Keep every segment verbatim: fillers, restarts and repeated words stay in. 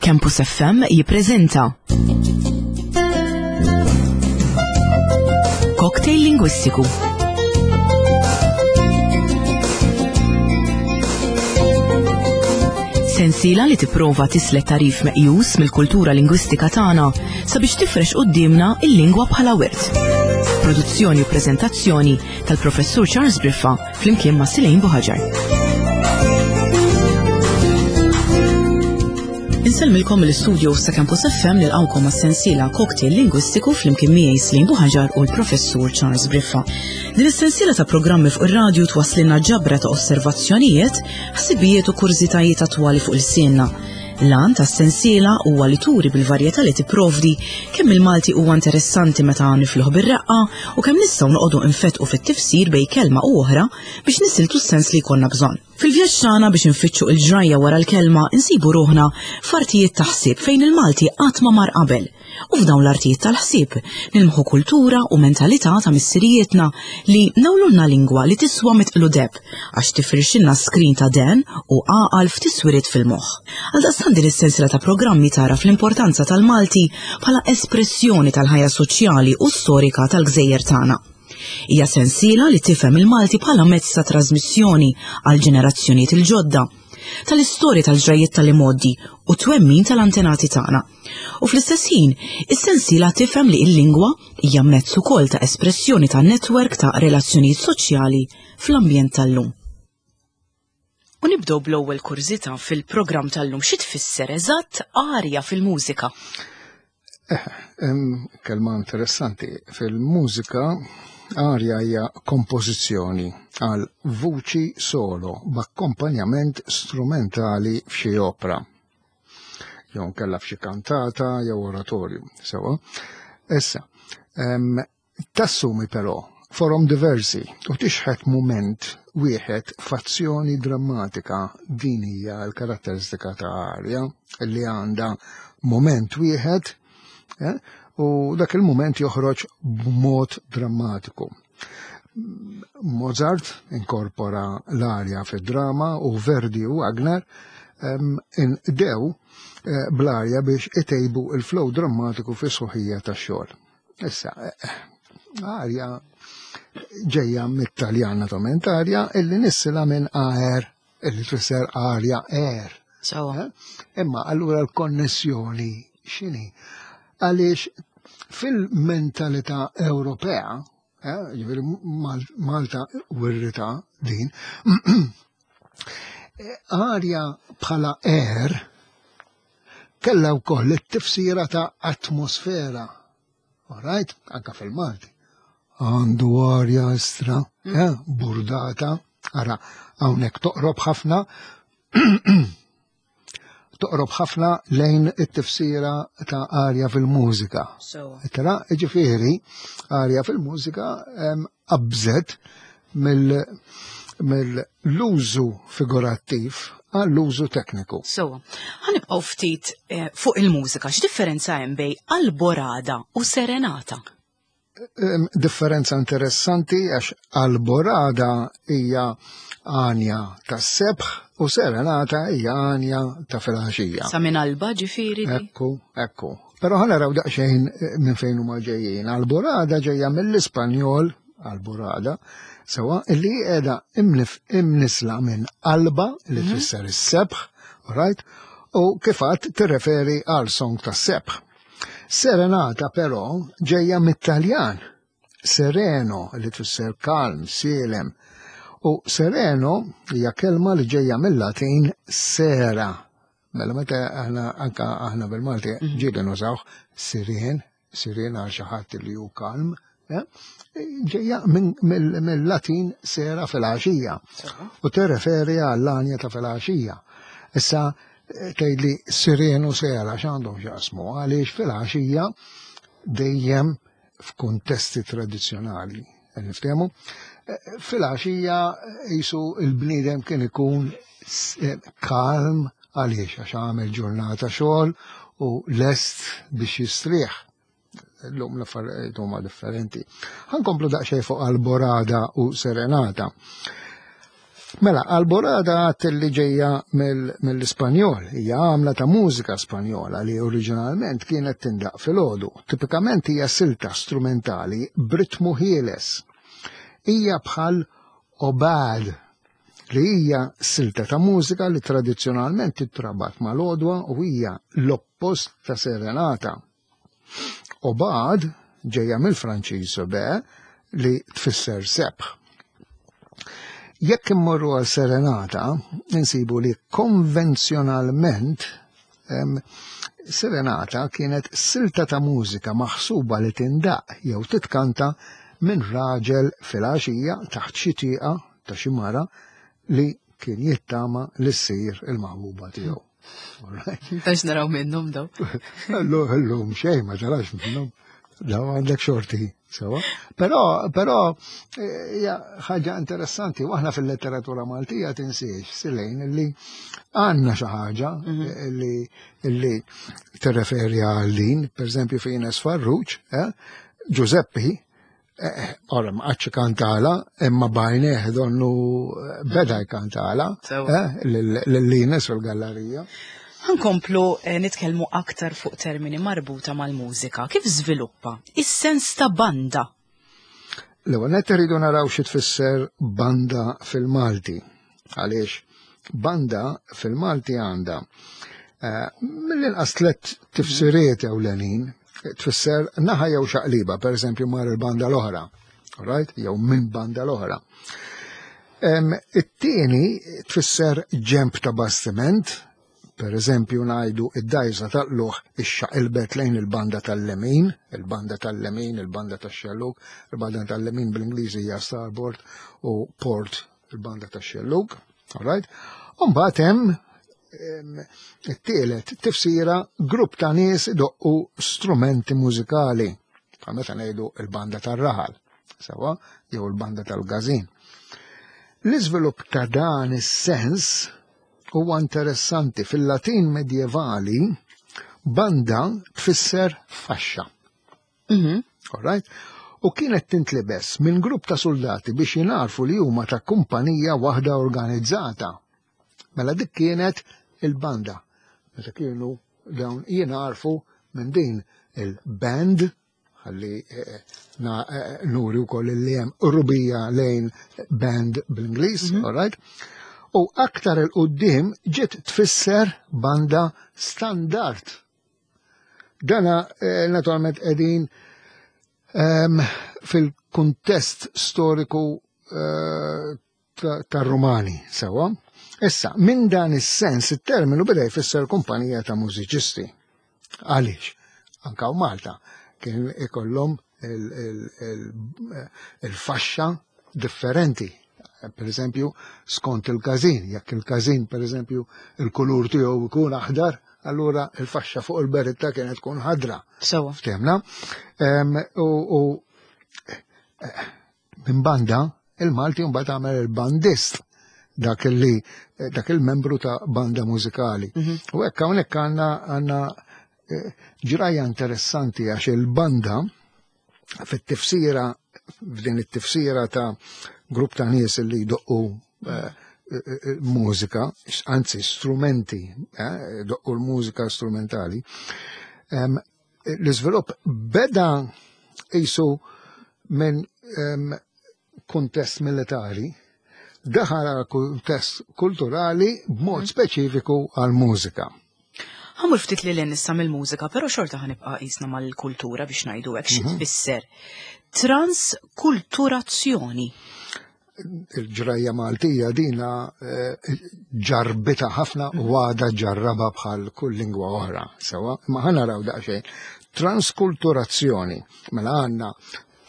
Campus F M jippreżenta Cocktail Lingwistiku. Sensiela li tipprova tislet tarif meqjus mill-kultura lingwistika tagħna sabiex tifrex quddiemna il-lingwa bħala wirt. Produzzjoni u preżentazzjoni tal-Professur Charles Briffa flimkien ma' Silejn Buħaġar. Insellmilkom mill-istudio sa' Campus F M nilqgħukom għas-sensiela Cocktail Lingwistiku flimkien miegħi Silejn Buħaġar u l-Professur Charles Briffa. Din is-sensiela ta' programmi fuq ir-radju twasslilna ġabra ta' osservazzjonijiet, ħsibijiet u kurżitajiet attwali fuq il-sienna. L-għan tas-sensiela huwa li turi bil-varjetà li tipprovdi kemm il-Malti huwa interessanti meta nifluh bir-reqqa u kemm nistgħu noqogħdu nfetqu fit-tifsir bejn kelma u oħra biex nisiltu s-sens li jkollna bżonn. Fil-vjaġġ tagħna biex infittxu l-ġrajja wara l-kelma insibu ruħna f'artijiet ta' ħsieb fejn il-Malti qatt ma mar qabel. U f'dawn l-artijiet tal-ħsieb nilmħu kultura u mentalità ta' missirijietna li nawlulna lingwa li tiswa mitqlu deb għax tifrixilna skrin ta' den u għaqal f'tiswiriet fil-moħħ. Għaldaqstant din is-sensiela ta' programmi tara fl-importanza tal-Malti bħala espressjoni tal-ħajja soċjali u storika tal-gżejjer tagħna. Hija sensiela li tifhem il-Malti bħala mezz ta' trasmissjoni għal ġenerazzjonijiet il-ġodda, tal-istorja tal-ġrajiet tal-imgħoddi u twemmin tal-antenati tagħna. U fl-istess ħin, is-sensiela tifhem li l-lingwa hija mezz ukoll ta' espressjoni ta' netwerk ta' relazzjonijiet soċjali fl-ambjent tal-lum. U nibdew bl-ewwel kurżità fil-programm tal-lum. Xi tfisser eżatt arja fil-mużika? Eh, kelma interessanti. Fil-mużika arja hija kompożizzjoni għal vuċi solo b'akkompanjament strumentali f'xi opra. Jew nkella f'xi kantata jew oratorju. Sewa. Issa, em, tassumi però forom diversi u tixħet mument wieħed f'azzjoni drammatika. Din hija l-karatteristika ta' arja li għandha mument wieħed, eh, u dak il-mument joħroġ b'mod drammatiku. Mozart inkorpora l-arja fid-drama u Verdi u Wagner, em, indew, eh, bl-arja biex itejbu il-flow drammatiku fis-sħuħija tax-xogħol. Issa, eh, arja ġejja mit-Taljan naturalment, arja illi nissila minn aer, illi tfisser arja air. Sawa. Eh? Imma allura l-konnessjoni x'inhi? Għaliex fil-mentalità Ewropea, eh, ġifieri Mal-, Malta wirrita din, arja bħala air kellha wkoll it-tifsira ta' atmosfera. All right? Anka fil-Malti. Għandu arja estra, Mm. eh, burdata, ara, hawnhekk toqrob ħafna, toqrob ħafna lejn it-tifsira ta' arja fil-mużika. Sewa. Tara, ġifieri, arja fil-mużika, em, qabżet mill-, mill-użu figurattiv għall-użu tekniku. Sewa. Ħanibqgħu ftit, eh, fuq il-mużika. X'differenza hemm bejn alborada u serenata? Em, differenza interessanti għax alborada hija għanja tas-sebħ u serenata hija għanja ta' filgħaxija. Sa minn alba ġifieri di? Ekku, ekku. Però ħa naraw daqsxejn, eh, minn fejn huma ġejjin. Alborada ġejja mill-Ispanjol, alborada, sewa li qiegħda imnif-, imnisla minn alba li Mhm. tfisser is-sebħ, right? U kif għadt tirreferi għal song tas-sebħ. Serenata però ġejja mit-Taljan, sereno li tfisser kalm, sielem. U sereno hija kelma li ġejja mill-Latin sera. Mela meta aħna anka aħna bil-Malti Mhm. ġieli nużawh siren, siren għal xi ħadd li hu kalm, eh? Ġejja minn, mill-, mill-Latin sera fil-għaxija. Sewa. U tirreferi għall-għanja ta' fil-għaxija. Issa tgħidli siren u sera x'għandhom x'jaqsmu, għaliex fil-għaxija dejjem f'kuntesti tradizzjonali, niftehmu, fil-għaxija jisu il-bniedem kien ikun s-, eh, kalm għaliex għax għamel ġurnata xogħol u lest biex jistrieħ. Illum l-affarijiet huma differenti. Ħankomplu daqsxejn fuq alborada u serenata. Mela, alborada għat li ġejja mill-Ispanjol, hija għamla ta' mużika Spanjola li oriġinalment kienet tindaq fil-għodu. Tipikament hija silta strumentali b'ritmu ħieles. Hija bħal obad, li hija silta ta' mużika li tradizzjonalment titrabat mal-għodwa u hija l-oppost ta' serenata. Obad ġejja mill-Franċiż be li tfisser sebħ. Jekk immorru għal serenata, insibu li konvenzjonalment em, serenata kienet silta ta' mużika maħsuba li tindaq jew titkanta minn raġel fil-għaxija taħt xi tieqa ta' xi mara li kien jittama li ssir il-maħbuba tiegħu. Tax naraw minnhom daw. Illum xejn ma tarax minnhom. Daw għandek xorti, sewa. Però, però hija ħaġa interessanti, u aħna fil-letteratura Maltija tinsiex, Silejn, li għandna xi ħaġa li li tirreferi għal din, per eżempju fi Ines Farrugia, eh, Giuseppi, ora ma qatx kantala, imma bajneħ donnu beda jkantala, Sewa. lil Ines fil-gallerija. Ħa nkomplu eh, nitkellmu aktar fuq termini marbuta mal-mużika. Kif żviluppa is-sens ta' banda? L-ewwel nett irridu naraw xi tfisser banda fil-Malti. Għaliex banda fil-Malti għandha eh, mill-inqas tliet tifsiriet ewlenin. Tfisser naħa jew xaqliba, per eżempju mar il-banda l-oħra, right? Jew minn banda l-oħra. Em, It-tieni tfisser ġemp ta' bastiment, per eżempju ngħidu id-dajsa tal-luħ ixxaqilbet lejn il-banda tal-lemin, il-banda tal-lemin, il-banda tax-xellug, il-banda tal-lemin bl-Ingliżi hija starboard u port il-banda tax-xellug, all right? U mbagħad hemm em, it-tielet tifsira grupp ta' nies idoqqu strumenti mużikali, bħal meta ngħidu il-banda tar-raħal, sewa, jew il-banda tal-każin. L-iżvilupp ta' dan is-sens huwa interessanti. Fil-Latin medjevali, banda tfisser faxxa. Mhm. All right? U kienet tintlibes minn grupp ta' soldati biex jingħarfu li huma ta' kumpanija waħda organizzata. Mela dik kienet il-banda. Meta kienu dawn jingħarfu minn din il-band, ħalli eh, na, eh, nuri wkoll li hemm rubija lejn band bl-Ingliż, all right? U aktar 'il quddiem ġiet tfisser banda standard. Dana eh, naturalment qegħdin em, fil-kuntest storiku eh, ta- tar-Rumani, sewa. Issa, minn dan is-sens it-terminu beda jfisser kumpanija ta' mużiċisti. Għaliex? Anka u Malta kien ikollhom il- il- il- il-faxxa differenti. Per eżempju, skont il-każin, jekk il-każin, per eżempju, il-kulur tiegħu jkun aħdar, allura il-faxxa fuq il-beritta kienet tkun ħadra. Sewa. Ftemna. Em, U u, eh, minn banda, il-Malti mbagħad għamel il-bandist, dak li dak il-membru ta' banda mużikali. U hekk hawnhekk għandna għandna eh, ġrajja interessanti għax il-banda fit-tifsira, f'din it-tifsira ta' grupp ta' nies li jdoqqu eh, eh, eh, mużika, anzi strumenti, eh, jdoqqu l-mużika strumentali. Em, L-iżvilupp beda jisu minn em, kuntest militari, daħal għal kuntest kulturali b'mod speċifiku għal mużika. Ħa mmur ftit lil hinn issa mill-mużika, però xorta ħa nibqa' qisna mal-kultura biex ngħidu hekk xi tfisser. Transkulturazzjoni. Il-ġrajja Maltija dina eh, ġarbita ħafna u għada ġarraba bħal kull lingwa oħra, sewa, ma ħa naraw daqsxejn. Transkulturazzjoni, mela għandna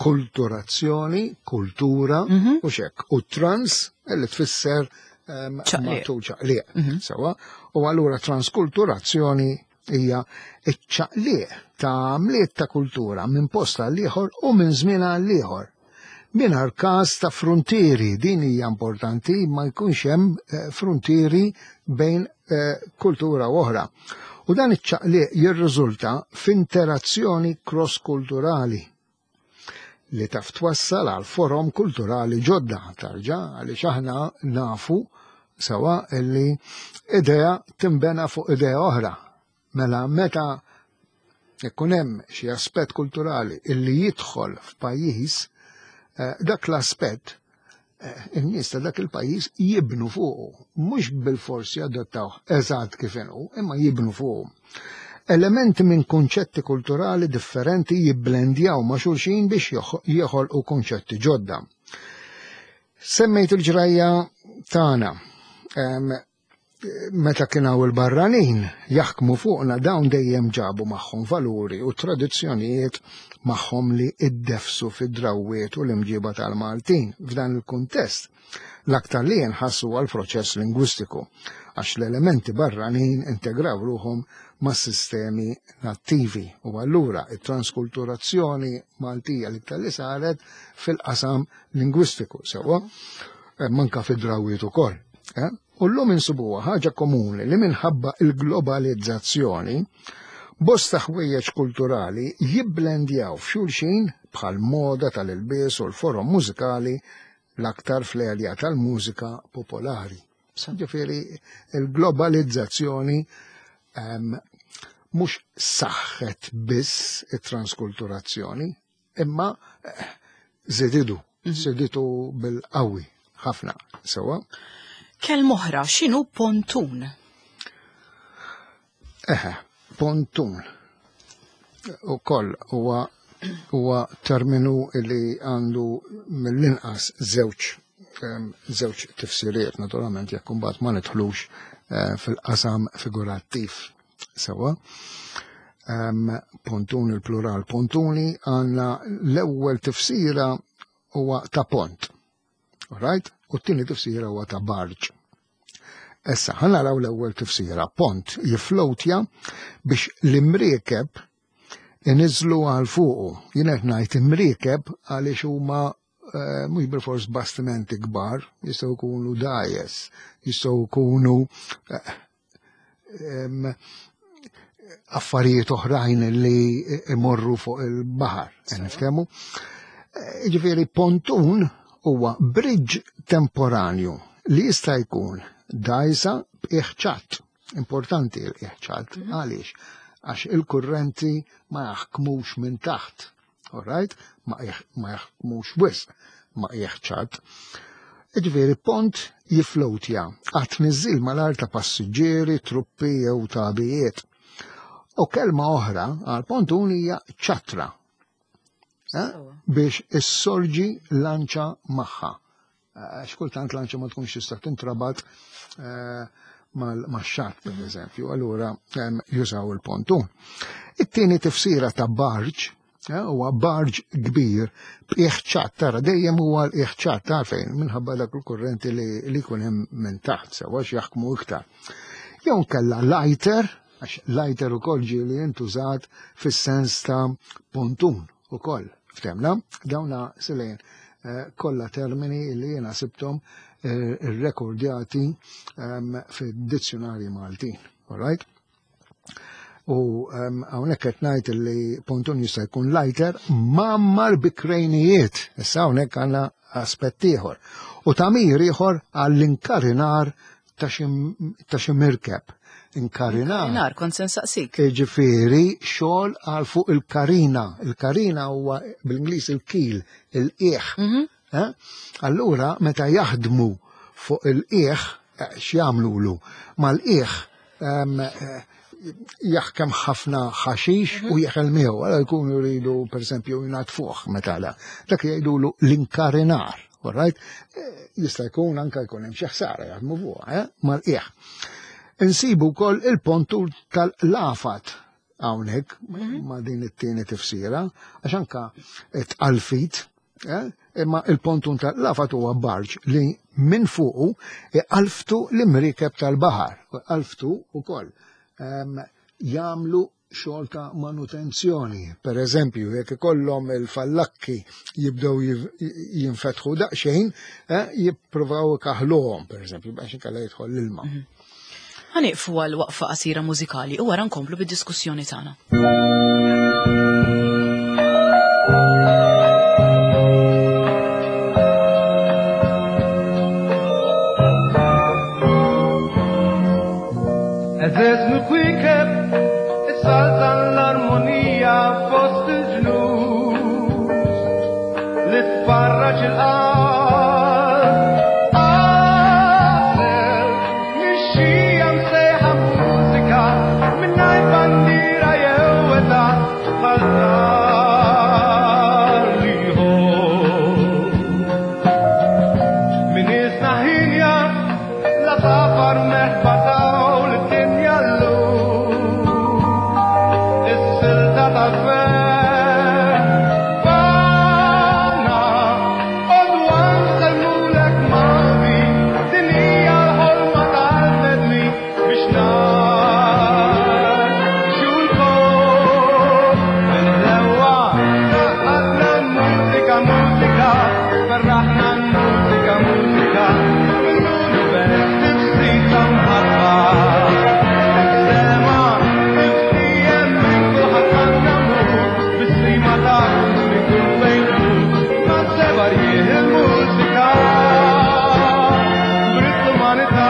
kulturazzjoni, kultura u xek, u trans li tfisser em, Ċaqliq. matul ċaqliq, sewa, u allura transkulturazzjoni hija iċ-ċaqliq ta' għamliet ta' kultura minn post għal ieħor u minn żmien għal ieħor. Mingħajr każ ta' frontieri, din hija importanti, ma jkunx hemm eh, frontieri bejn eh, kultura u oħra. U dan iċ-ċaqliq jirriżulta f'interazzjoni cross-kulturali li taf twassal għal forom kulturali ġodda tarġa, għaliex aħna nafu sewa illi idea timbena fuq idea oħra. Mela meta ikun hemm xi aspett kulturali illi jidħol f'pajjiż, eh, dak l-aspett eh, in-nies ta' dak il-pajjiż jibnu fuqu, mhux bil-forsi adottawh eżatt kif inhu, imma jibnu fuqu. Elementi minn kunċetti kulturali differenti jibblendjaw ma' xulxin biex joħolqu kunċetti ġodda. Semmejt il-ġrajja tagħna. Meta kien hawn il-barranin jaħkmu fuqna, dawn dejjem ġabu magħhom valuri u tradizzjonijiet magħhom li iddefsu fid-drawwiet u l-imġiba tal-Maltin. F'dan il-kuntest, l-aktar li jinħassu għal proċess lingwistiku, għax l-elementi barranin integraw ruħhom ma' sistemi nattivi u allura it-transkulturazzjoni Maltija l-iktar li saret fil-qasam lingwistiku, sewwa, manka fid-drawwiet ukoll. Eh? U llum insibuha ħaġa komuni li minħabba il-globalizzazzjoni bosta ħwejjeġ kulturali jibblendjaw f'xulxin bħal moda tal-ilbies u l-forom mużikali, l-aktar fl-erja tal-mużika popolari. Ġifieri il-globalizzazzjoni mhux saħħet biss it-transkulturazzjoni, imma żididu, żiditu bil-qawwi ħafna, sewwa. Kelma oħra, x'inhu pontun? Eħe, pontun. Ukoll huwa huwa terminu li għandu mill-inqas żewġ żewġ tifsiriet, naturalment jekk imbagħad ma nidħlux fil-qasam figurattiv. Sewwa. Pontun, il-plural pontuni, għandna l-ewwel tifsira huwa ta' pont. Right? U t-tieni tifsira huwa ta' barġ. Issa, ħa naraw l-ewwel tifsira. Pont jiflowtja biex l-imriekeb iniżlu għal fuqu. Jien qed ngħid imriekeb għaliex huma mhux bilfors bastimenti kbar, jistgħu jkunu dgħajjes, jistgħu jkunu affarijiet oħrajn li imorru fuq il-baħar. Niftehmu? Ġifieri pontun huwa bridge temporanju li jista' jkun dgħajsa b'iħċat. Importanti l-iħċat, għaliex? Għax il-kurrenti ma jaħkmux minn taħt, all right? Ma jaħkmux wisq, ma iħċat. Ġifieri pont jiflowtja għat-tniżżil mal-art ta' passiġġieri, truppi jew tabijiet. U kelma oħra għal pontun hija ċatra, biex issorġi lanċa magħha. Għax kultant lanċa ma tkunx tista' tintrabat max-xatt, per eżempju, allura jużaw il-pontun. It-tieni tifsira ta' barġ huwa barġ kbir b'iħċat, tara dejjem huwa l-iħċat, għalfejn minħabba dak il-kurrenti li jkun hemm minn taħt, sewwa jaħkmu iktar. Jew kellha lighter, għax lighter ukoll ġieli intużat fis-sens ta' pontun ukoll. Ftemna, dawna silejn kollha termini li jiena sibthom irrekordjati fid-dizzjonarji Maltin. All right? U hawnhekk qed ngħid li pontun jista' jkun lighter mgħammar bi krejnijiet. Issa hawnhekk għandna aspett ieħor. U tagħmir ieħor għall-inkarinar ta' xi mirkeb. Inkarinar. Inkarinar, kont se nsaqsik. Ġifieri xogħol għal fuq il-karina. Il-karina huwa bl-Ingliż il-kil, il-qiegħ. Allura meta jaħdmu fuq il-qiegħ, x'jagħmlulu? Mal-qiegħ jaħkem ħafna ħaxix u jeħel miegħu, għala jkunu jridu pereżempju jnatfuh meta la. Dak jgħidulu l-inkarinar, all right? Jista' jkun anke jkun hemm xi ħsara jaħdmu fuqha, mal-qiegħ. Insibu wkoll il-pontur tal-lafat hawnhekk ma' din it-tieni tifsira, għax anka tqalfit, imma il-pontun tal-lafat huwa barġ li minn fuqu iqalftu l-imriekeb tal-baħar, qalftu wkoll jagħmlu xogħol ta' manutenzjoni. Per eżempju, jekk ikollhom il-fallakki jibdew jinfetħu daqsxejn, jippruvaw ikaħluhom, per eżempju, biex inkella jidħol l-ilma. Ħa nieqfu għal waqfa qasira mużikali u wara nkomplu bid-diskussjoni tagħna. Is-saltan l-armonija fost il-ġnus li tfarraġ il-qalb. Għasel, nixxija msejħa mużika mingħajr bandiera jew età bħal nar li jħobb. Min isna ħinja la safar merħba taw lid-dinja llum. Is-silta tal-ferħ Fana, għodwa nsellmulek Malti, din hija l-ħolma tal-bnedmin biex ngħixu lkoll. Bil-ħlewwa għaqqadna l-mużika, mużika, ferraħna l-mużika, mużika, mill-univers tifsita mħabba. Is-sema tiftijem minn kulħadd għandna mmur, bis-sima ta' minn kull fejn ma seba' rjieħ il-mużika, brid l-umanità.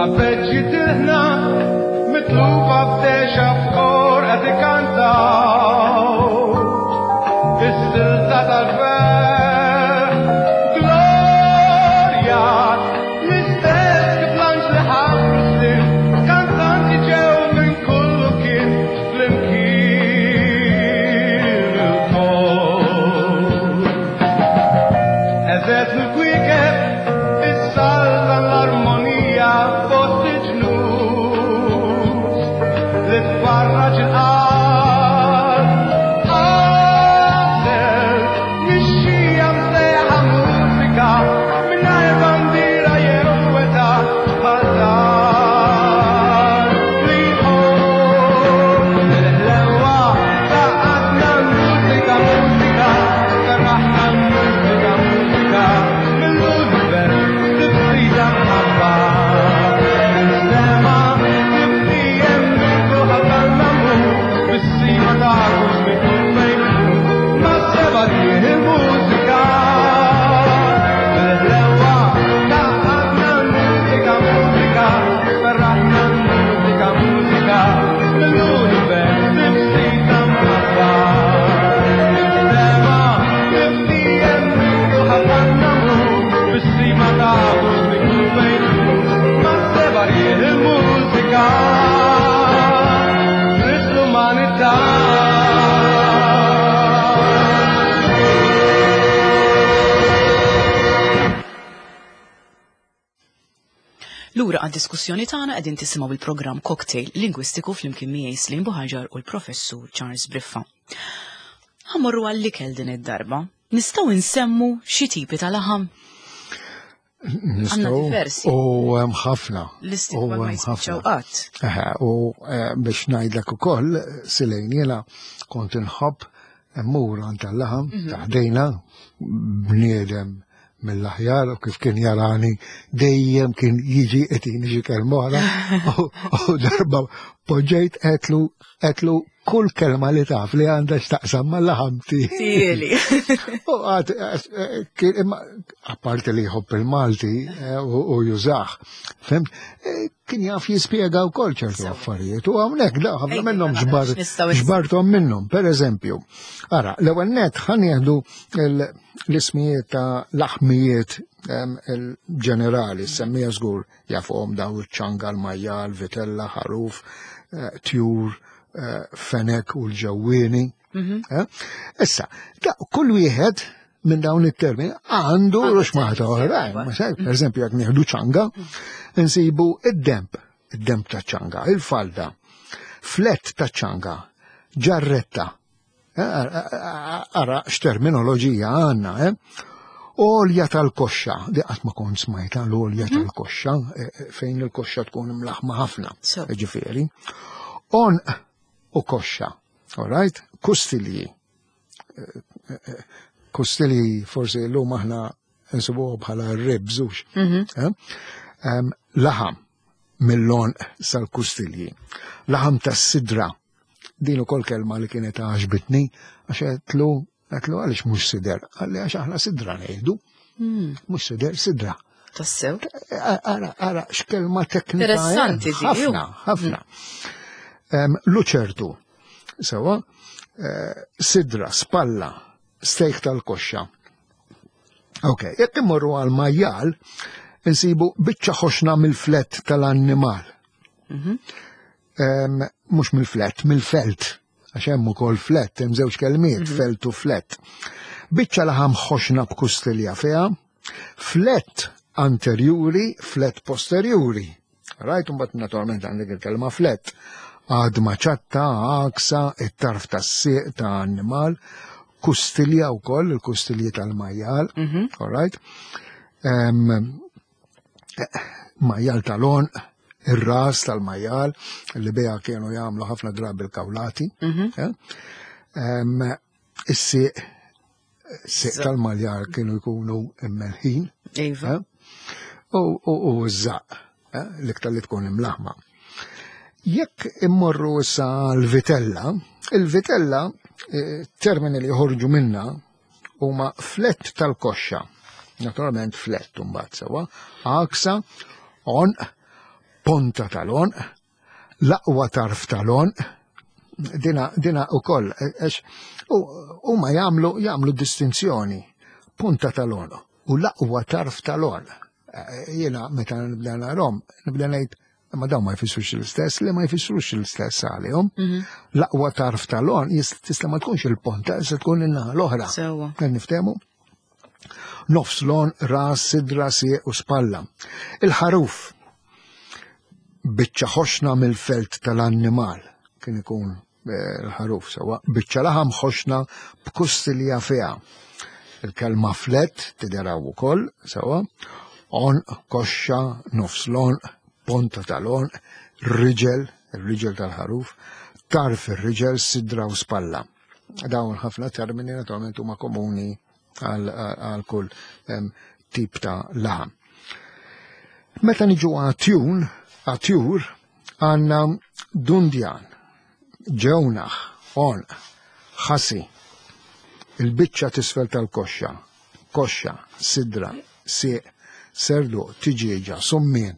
Arpeġġi tilħna mitlufa f'dexa f'kor qed ikantaw is-silta tal-ferħ. Glorja, l-istess kif l-anġli ħabbru snin, kantanti ġew minn kullu kien flimkien ilkoll. Eżet mill-kwiekeb is-saltan l-armonija fost il-ġnus li tfarraġ il-qalb. Għasel, nixxija msejħa mużika mingħajr bandiera jew età bħal dar li jħobb. Bil-ħlewwa għaqqadna l-mużika, mużika, ferraħna l-mużika, mużika, mill-univers tifsida mħabba. Is-sema tiftijem minn kulħadd għandna mmur, bis-sima ta' minn kull fejn ma seba' rjieħ il-mużika. Bil-ħlewwa għaqqadna l-mużika, mużika, ferraħna l-mużika, mużika, mill-univers tifsida mħabba. Is-sema tiftijem minn kulħadd għandna mmur, bis-sima ta' minn kull fejn ma seba' rjieħ il-mużika. Trid l-umanità. Lura għad-diskussjoni tagħna qegħdin tisimgħu il-programm Cocktail Lingwistiku flimkien miegħi Slim Buħaġar u l-Professur Charles Briffa. Ħa mmorru għall-ikel din id-darba. Nistgħu nsemmu xi tipi ta' laħam? Nistgħu diversi. U hemm ħafna. Listi U ma hemm jispiċċaw ħafna. qatt. Eħe, u eh, biex ngħidlek ukoll, Silejn, jiena kont inħobb mmur għand tal-laħam ta' ħdejna bniedem mill-aħjar u kif kien jarani dejjem kien jiġi qed xi kelma oħra u u darba poġġejt għedtlu għedtlu kull kelma li taf li għandha x'taqsam mal-laħam Tieli. U għad, eh, kien imma apparti li jħobb il-Malti eh, u u jużah, fhimt, eh, kien jaf jispjega wkoll ċertu affarijiet. U hawnhekk da ħafna Ejja, minnhom mela, ġbar x'nistgħu ns- ġbarthom minnhom. Per eżempju, ara, l-ewwel net ħa nieħdu l- l-ismijiet ta' laħmijiet em, il-ġenerali, semmija żgur jafuhom daw iċ-ċanga, l-majjal, vitella, ħaruf, eh, tjur, eh, fenek u l-ġewwieni. Eh? Issa, da, kull wieħed minn dawn it-termini għandu Għandu ruxmata termini, oħrajn. iva. Ma se- Per eżempju, jekk nieħdu ċanga, nsibu id-demp, id-demp ta' ċanga, il-falda, flett ta' ċanga, ġarretta. Eh, Ara x'terminoloġija għandna, eh? Olja tal-koxxa, di qatt ma kont smajta l-olja tal-koxxa, eh, eh, fejn il-koxxa tkun imlaħma ħafna, So. ġifieri. Għonq u koxxa, all right? Kustilji. Kustilji forsi l-lum aħna nsibuh bħala ribs, hux. Eh? Em, Laħam mill-għonq sal-kustilji. Laħam tas-sidra. Din ukoll kelma li kienet għaġbitni għax għedtlu Għedtlu għaliex mhux sider? Qalli għax aħna sidra ngħidu. Hmm. Mhux sider, sidra. Tassew. Ara, ara, x'kelma teknika. Interessanti di. Ħafna, ħafna. Luċertu. Sewa, eh, sidra, spalla, stejk tal-koxxa. Ok, jekk immorru għal majjal, insibu biċċa ħoxna mill-flett tal-annimal. Mhm. Mhux mill-flett, mill-felt. Għax hemm ukoll flett, hemm żewġ kelmiet, Mhm. felt u flett. Biċċa laħam ħoxna b'kustilja fiha, flett anterjuri, flett posterjuri. Rajt, mbagħad naturalment għandek il-kelma flett. Għadma ċatta, għaksa, it-tarf tas-sieq ta' annimal, kustilja wkoll, il-kustilji tal-majjal, Mhm. all right? Em, eh, Majjal tal-għonq, ir-ras tal-majjal, li biha kienu jagħmlu ħafna drabi l-kawlati. Mhm. eh? Em, Is-sieq, sieq tal-majjal kienu jkunu immelħin. Iva. eh? U u- u ż-żaq, eh? l-iktar li tkun imlaħma. Jekk immorru issa l-vitella, il-vitella, eh, termini li joħorġu minna huma flett tal-koxxa. Naturalment flett mbagħad sewwa, għaksa, għonq, ponta tal-għonq, l-aqwa tarf tal-għonq, dina, dina u koll, għax huma jagħmlu jagħmlu distinzjoni, punta tal-għonq u l-aqwa tarf tal-għonq. Eh, Jiena meta nibda narhom, nibda ngħid ma dawn ma jfissrux l-istess, li ma jfissrux l-istess għalihom. Mhm. L-aqwa tarf tal-għonq jist- tista' ma tkunx il-ponta, tista' tkun in-naħa l-oħra. Sewwa. Kan niftehmu? Nofs l-għonq, ras, sidra, sieq u spalla. Il-ħaruf, biċċa ħoxna mill-felt tal-annimal, kien ikun eh, il-ħaruf sewa, biċċa laħam ħoxna b'kustilja fiha. Il-kelma flett tideraw ukoll sewa, għonq, koxxa, nofs l-għonq, ponta tal-għonq, riġel, il-riġel tal-ħaruf, tarf ir-riġel, sidra u spalla. Dawn ħafna termini naturalment huma komuni għal għal kull em, tip ta' laħam. Meta niġu għat-tjun, għat-tjur, għandna dundjan, ġewnaħ, għonq, ħasi, il-biċċa t'isfel tal-koxxa, koxxa, sidra, sieq, serdu, tiġieġa, summien.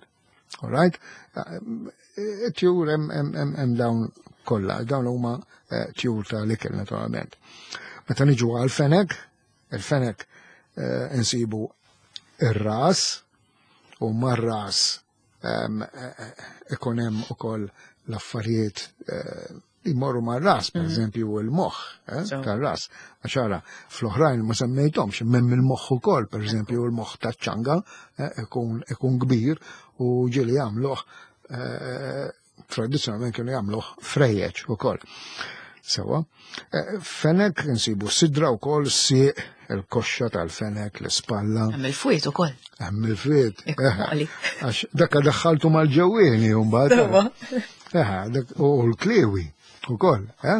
All right? Eh, Tjur hemm hemm hemm hemm dawn kollha, dawn huma eh, tjur ta' l-ikel naturalment. Meta niġu għal-fenek, il-fenek eh, insibu ir-ras u mar-ras em, eh, eh, ikun hemm ukoll l-affarijiet eh, li jmorru mar-ras, per eżempju il-moħħ eh, So. tar-ras. Għax ara, fl-oħrajn ma semmejthomx, hemm il-moħħ ukoll, per eżempju il-moħħ taċ-ċanga eh, ikun ikun kbir u ġieli jagħmluh eh, tradizzjonalment kienu jagħmluh frejjeġ ukoll. Sewa. Eh, Fenek insibu sidra wkoll sieq il-koxxa tal-fenek, l-ispalla, Hemm il-fwiet ukoll. hemm il-fwiet. Ekku, għali. Għax dakka daħħaltu mal-ġewwieni mbagħad. Sewa. Eħe, dak- u l-kliwi ukoll, eh?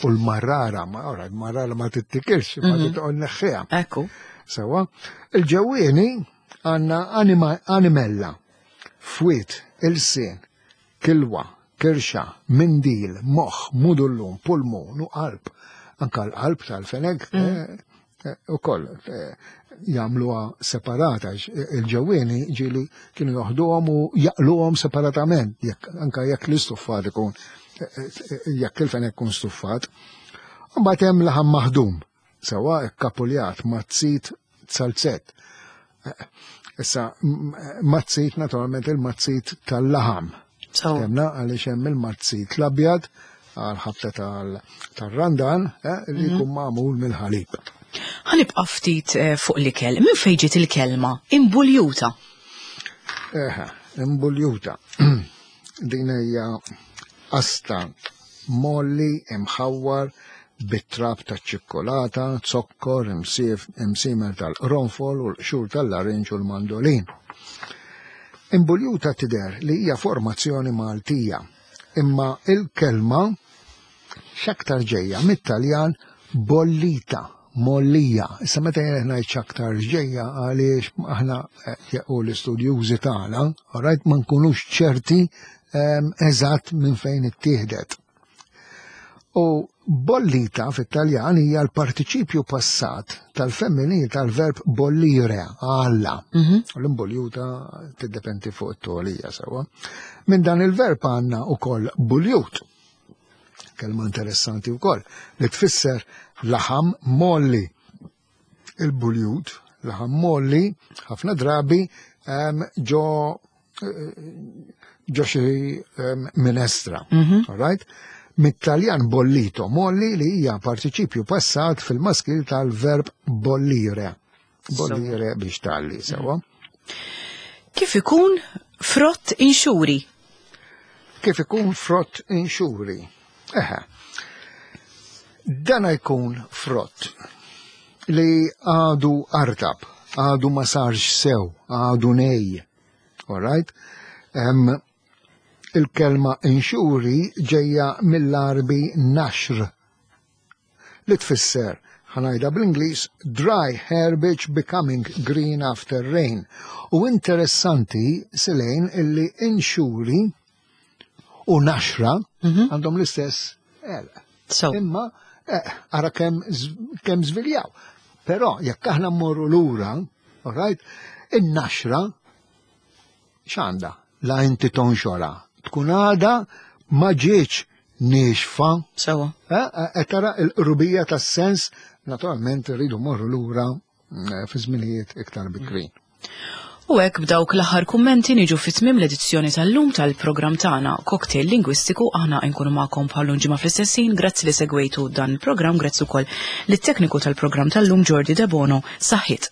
U l-marrara, ma ora, l-marrara ma tittikilx, ma titqol neħħiha. Ekku. Sewa, il-ġewwieni għandna anima, animella, fwiet, ilsien, kilwa, kirxa, mindil, moħ, mudullum, pulmun u qalb. Anka l-qalb tal-fenek eh, eh, u koll eh, jagħmluha separata. għax Il-ġewwieni ġieli kienu joħduhom u jaqluhom separatament, jekk anka jekk l-istuffat ikun eh, eh, jekk il-fenek ikun stuffat. Mbagħad hemm laħam maħdum, sewa kkapuljat, mazzit, salzett. Issa, m- mazzit naturalment il-mazzit tal-laħam. Sewwa. Temna għaliex hemm il-mazzit l-abjad għal ħabta tal- tal-randan eh, li jkun magħmul mill-ħalib. Ħa nibqa' ftit eh, fuq l-ikel. Min fejn ġiet il-kelma? Imbuljuta. Eħe, imbuljuta. Din hija asta molli imħawwar bit-trab ta' ċikkolata, zokkor, imsif, imsimer tal-qronfol u l-qxur tal-larinġ u l-mandolin. Imbuljuta tidher li hija formazzjoni Maltija, imma il-kelma x'aktar ġejja mit-Taljan bollita, mollija. Issa meta jien ngħid x'aktar ġejja għaliex aħna eh, u l-istudjużi tagħna, alright, ma nkunux ċerti ehm, eżatt minn fejn ittieħdet. U Bollita fit-Taljan hija l-partiċipju passat tal-femminil tal-verb bollire, għalla. Mhm. U l-imboljuta tiddependi fuq it-tolija sewa. Minn dan il-verb għandna ukoll buljut. Kelma interessanti wkoll li tfisser laħam molli. Il-buljut, laħam molli, ħafna drabi em, ġo eh, ġo xi em, minestra. Mhm. All right? Mit-Taljan bollito, molli li hija partiċipju passat fil-maskil tal-verb bollire. Bollire biex talli, sewa. Kif ikun frott inxuri? Kif ikun frott inxuri? Eħe. Dana jkun frott li għadu artab, għadu ma sarx sew, għadu nej. All right? Em, il-kelma inxuri ġejja mill-Arbi naxr li tfisser ħa ngħidha bl-Ingliż dry herbage becoming green after rain. U interessanti Selene illi inxuri u naxra Mhm. għandhom l-istess għerq. So, Imma eh, ara kemm kemm żviljaw. Però jekk aħna mmorru lura, all right, in-naxra x'għandha? La inti tonxora. Tkun għada ma ġietx niexfa. sewa. Eh, eh, tara il-qrubija tas-sens, naturalment rridu morru lura eh, fi żminijiet iktar bikrin. U hekk b'dawk l-aħħar kummenti niġu fi tmiem l-edizzjoni tal-lum tal-programm tagħna Cocktail Lingwistiku aħna nkunu magħkom bħal ġimgħa fl-istess ħin. Grazzi li segwejtu dan il-programm, grazzi wkoll lit-tekniku tal-programm tal-lum Jordi Debono. Saħħit.